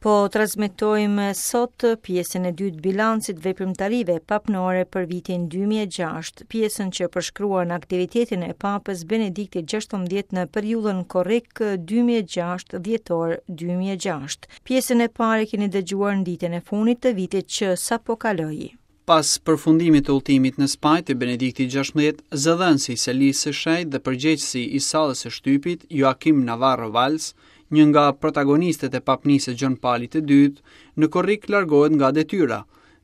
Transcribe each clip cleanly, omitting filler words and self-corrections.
Po transmetojmë sot pjesën e dytë bilancit veprimtarive papnore për vitin 2006, pjesën që përshkruan aktivitetin e Papës Benediktit XVI në periudhën korrik 2006 dhjetor 2006. Pjesën e parë e keni dëgjuar në ditën e fundit të vitit që sapo kaloi. Pas përfundimit të udhëtimit në Spanjë të Benediktit XVI, zëdhënësi i Selisë së Shenjtë dhe përgjegjësi i sallës së shtypit, Joaquim Navarro Valls, një nga protagonistët e papnisë së Gjon Palit të II, në korrik largohet nga detyra,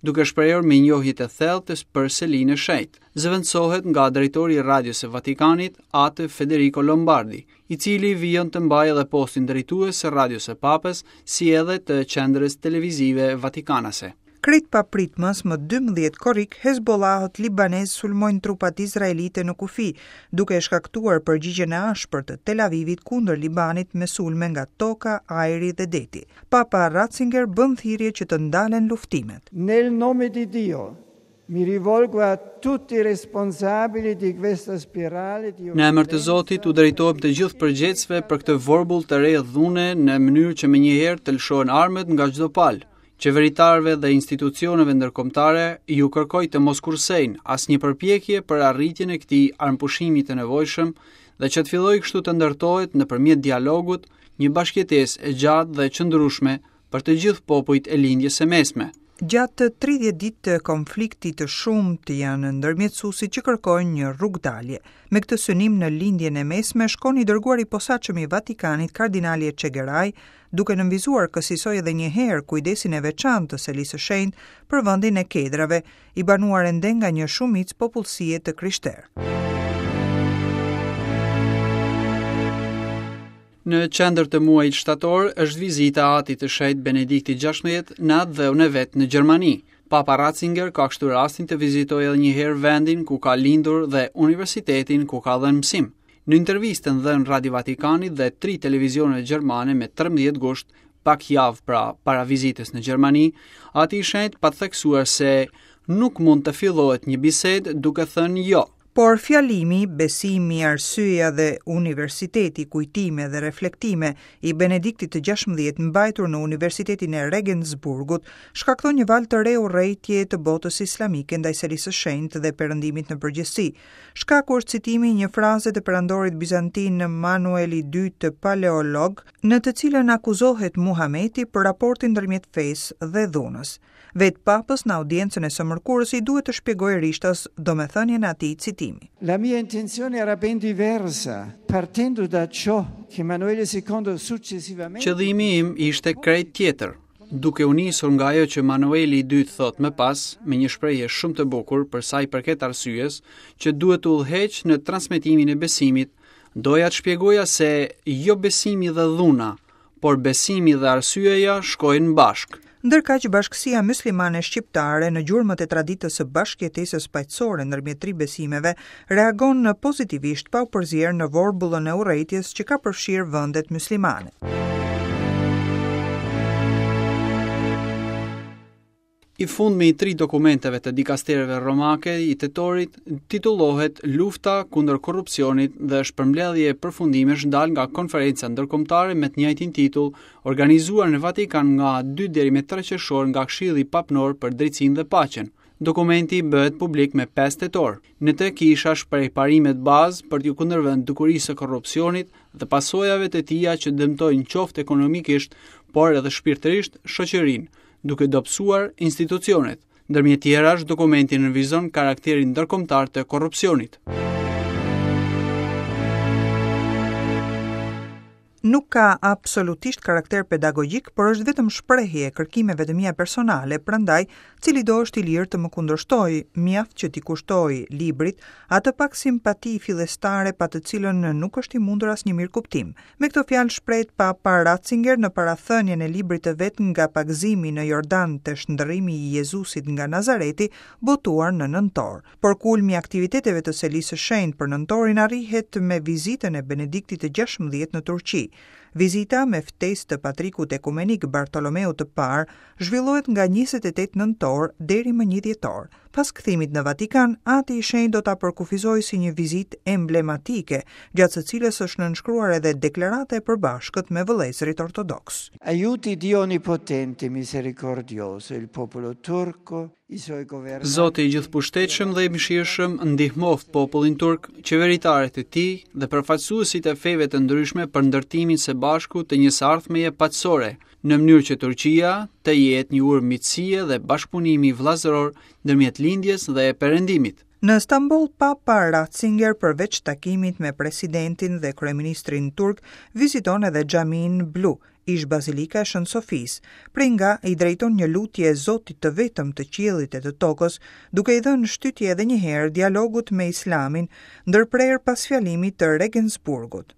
duke shprehur mirënjohje të thellë të për Selinë e Shenjtë. Zëvendësohet nga drejtori i Radios së Vatikanit, Atë Federico Lombardi, i cili vijon të mbajë edhe postin drejtues së Radios së Papës, si edhe të Qendrës Televizive Vatikanase. Krejt papritmas, më 12 korrik, Hezbollahët libanezë sulmojnë trupat izraelite në kufi, duke shkaktuar përgjigjen e ashpër të Tel Avivit kundër Libanit me sulme nga toka, ajri dhe deti. Papa Ratzinger bën thirrje që të ndalen luftimet. Nel nome di Dio, mi rivolgo a tutti i responsabili di questa spirale di Në emër të Zotit u drejtohem të gjithë përgjegjësve për këtë vorbull të re dhune në mënyrë që menjëherë të lëshohen armët nga çdo palë. Qeveritarëve dhe institucioneve ndërkombëtare ju kërkoj të mos kursejnë asnjë përpjekje për arritjen e këtij armëpushimi të nevojshëm dhe që të fillojë kështu të ndërtohet nëpërmjet dialogut një bashkëjetesë e gjatë dhe e qëndrueshme për të gjithë popujt e Lindjes së Mesme. Gjatë 30 ditë të konfliktit të shumtë janë ndërmjetësuesit që kërkojnë një rrugëdalje. Me këtë synim në Lindjen e Mesme shkon i dërguari i posaçëm i Vatikanit kardinali Etchegaray, duke nënvizuar kësisoj edhe një herë kujdesin e veçantë të Selisë së Shenjtë për vendin e kedrave, i banuar ende nga një shumicë popullsie të krishterë. Në qendër të muajit shtator është vizita e Atit të Shenjtë Benedikti XVI në atdheun e vet në Gjermani. Papa Ratzinger ka kështu rastin të vizitojë edhe një herë vendin ku ka lindur dhe universitetin ku ka dhënë mësim. Në intervistën dhënë Radio Vatikanit dhe tri televizioneve gjermane me 13 gusht, pak javë pra para vizitës në Gjermani, Ati i Shenjtë pat theksuar se nuk mund të fillohet një bisedë duke thënë jo. Por fjalimi, besimi, arsyeja dhe universiteti, kujtime dhe reflektime i Benediktit të XVI mbajtur në Universitetin e Regensburgut, shkakton një valë të re urrejtjeje të botës islamike ndaj Selisë së Shenjtë dhe Perëndimit në përgjithësi. Shkaku është citimi i një fraze të perandorit bizantin Manuel i II Paleolog, në të cilën akuzohet Muhameti për raportin ndërmjet fesë dhe dhunës. Vetë Papës në audiencën e së mërkurës i duhet të shpjegojë rishtas domethënien e atij citimi. La mia intenzione era ben diversa, partendo da ciò che Emanuele II successivamente Qëllimi im ishte krejt tjetër. Duke u nisur nga ajo që Manueli i II thotë më pas, me një shprehje shumë të bukur për sa i përket arsyes, që duhet të udhëheqë në transmetimin e besimit, doja të shpjegoja se jo besimi dhe dhuna, por besimi dhe arsyeja shkojnë bashkë. Ndërkaq bashkësia myslimane shqiptare në gjurmët e traditës së bashkëjetesës paqësore ndërmjet tri besimeve reagon pozitivisht pa u përzier në vorbullën e urrejtjes që ka përfshirë vendet myslimane. I fundmi i tri dokumenteve të dikastereve romake i tetorit titullohet Lufta kundër korrupsionit dhe është përmbledhje përfundimesh dalë nga konferenca ndërkombëtare me të njëjtin titull, organizuar në Vatikan nga 2 deri me 3 qershor nga Këshilli Papnor për Drejtësinë dhe Paqen. Dokumenti bëhet publik me 5 tetor. Në të kisha shpreh parimet bazë për t'iu kundërvënë dukurisë së korrupsionit dhe pasojave të tija që dëmtojnë qoftë ekonomikisht, por edhe shpirtërisht shoqërinë, duke dobësuar institucionet. Ndërmjet tjerash, dokumenti nënvizon karakterin ndërkombëtar të korrupsionit. Nuk ka absolutisht karakter pedagogjik, por është vetëm shprehje e kërkimeve të mia personale, prandaj cilido është i lirë të më kundërshtojë, mjaft që t'i kushtojë librit atë pak simpati fillestare pa të cilën nuk është i mundur asnjë mirëkuptim. Me këto fjalë shprehet Papa Ratzinger në parathënien e librit të vet Nga pagëzimi në Jordan te shndërrimi i Jezusit nga Nazareti, botuar në nëntor. Por kulmi i aktiviteteve të Selisë së Shenjtë për nëntorin arrihet me vizitën e Benediktit të XVI në Turqi. Vizita, me ftesë të patrikut ekumenik Bartolomeut të Parë, zhvillohet nga 28 nëntor deri më 1 dhjetor. Pas kthimit në Vatikan, Ati i Shenjtë do ta përkufizojë si një vizitë emblematike, gjatë së cilës është nënshkruar edhe deklarata e përbashkët me vëllezërit ortodoksë. Aiuti Dio onnipotente e misericordioso il popolo turco, i suoi governanti. Zoti i gjithëpushtetshëm dhe i mëshirshëm ndihmoftë popullin turk, qeveritarët e tij dhe përfaqësuesit e feve të ndryshme për ndërtimin së bashku të një së ardhmeje paqësore, në mënyrë që Turqia të jetë një urë miqësie dhe bashkëpunimi vëllazëror ndërmjet Lindjes dhe Perëndimit. Në Stamboll, Papa Ratzinger përveç takimit me presidentin dhe kryeministrin turk, viziton edhe Xhaminë Blu, ish-Bazilika e Shën Sofisë, prej nga i drejton një lutje Zotit të vetëm të qiellit e të tokës, duke i dhënë shtytje edhe një herë dialogut me Islamin, ndërprerë pas fjalimit të Regensburgut.